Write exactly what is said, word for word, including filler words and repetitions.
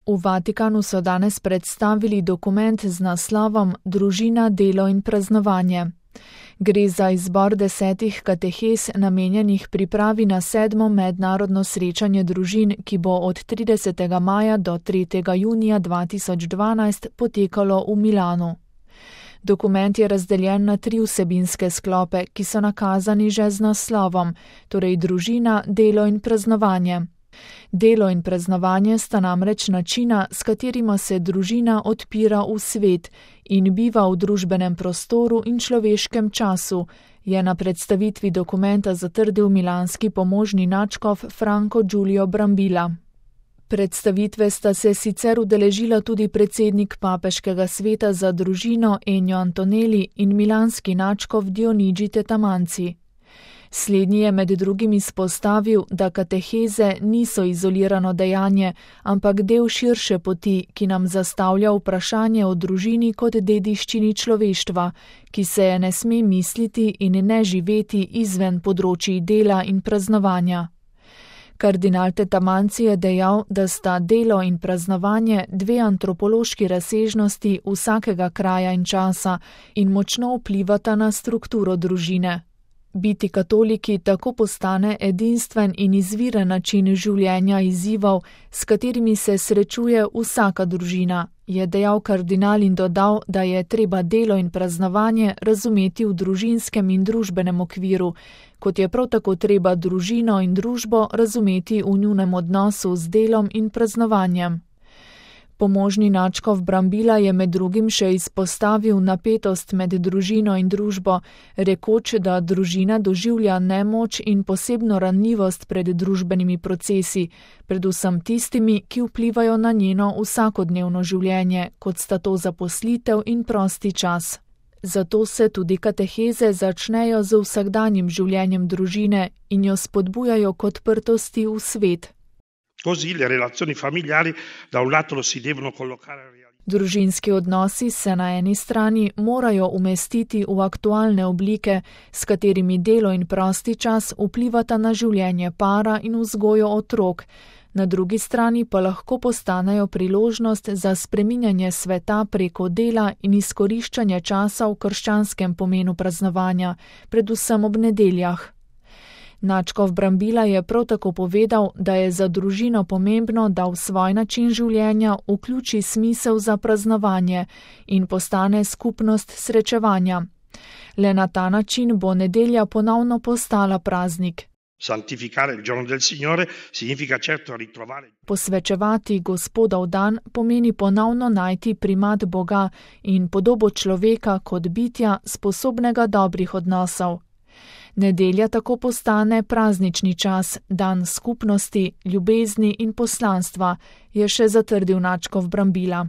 V Vatikanu so danes predstavili dokument z naslovom Družina, delo in praznovanje. Gre za izbor desetih katehez namenjenih pripravi na sedmo mednarodno srečanje družin, ki bo od tridesetega maja do tretjega junija dva tisoč dvanajst potekalo v Milanu. Dokument je razdeljen na tri vsebinske sklope, ki so nakazani že z naslovom, torej družina, delo in praznovanje. Delo in praznovanje sta namreč načina, s katerima se družina odpira v svet in biva v družbenem prostoru in človeškem času, je na predstavitvi dokumenta zatrdil milanski pomožni nadškof Franco Giulio Brambilla. Predstavitve sta se sicer udeležila tudi predsednik papeškega sveta za družino Ennio Antonelli in milanski nadškof Dionigi Tetamanzi. Slednji je med drugim izpostavil, da kateheze niso izolirano dejanje, ampak del širše poti, ki nam zastavlja vprašanje o družini kot dediščini človeštva, ki se je ne sme misliti in ne živeti izven področij dela in praznovanja. Kardinal Tetamanzi je dejal, da sta delo in praznovanje dve antropološki razsežnosti vsakega kraja in časa in močno vplivata na strukturo družine. Biti katoliki tako postane edinstven in izviren način življenja izzivov, s katerimi se srečuje vsaka družina, je dejal kardinal in dodal, da je treba delo in praznovanje razumeti v družinskem in družbenem okviru, kot je prav tako treba družino in družbo razumeti v njunem odnosu z delom in praznovanjem. Pomožni nadškof Brambilla je med drugim še izpostavil napetost med družino in družbo, rekoč, da družina doživlja nemoč in posebno ranljivost pred družbenimi procesi, predvsem tistimi, ki vplivajo na njeno vsakodnevno življenje, kot sta to zaposlitev in prosti čas. Zato se tudi kateheze začnejo z vsakdanjim življenjem družine in jo spodbujajo k odprtosti v svet. Così le relazioni familiari da un lato si devono collocare al realismo. Družinski odnosi se na eni strani morajo umestiti v aktualne oblike, s katerimi delo in prosti čas vplivata na življenje para in vzgojo otrok, na drugi strani pa lahko postanejo priložnost za spreminjanje sveta preko dela in izkoriščanje časa v krščanskem pomenu praznovanja, predvsem ob nedeljah. Nadškof Brambilla je prav tako povedal, da je za družino pomembno, da v svoj način življenja vključi smisel za praznovanje in postane skupnost srečevanja. Le na ta način bo nedelja ponovno postala praznik. Santificare il giorno del Signore significa certo ritrovare. Posvečevati Gospodov dan pomeni ponovno najti primat Boga in podobo človeka kot bitja, sposobnega dobrih odnosov. Nedelja tako postane praznični čas, dan skupnosti, ljubezni in poslanstva, je še zatrdil nadškof Brambilla.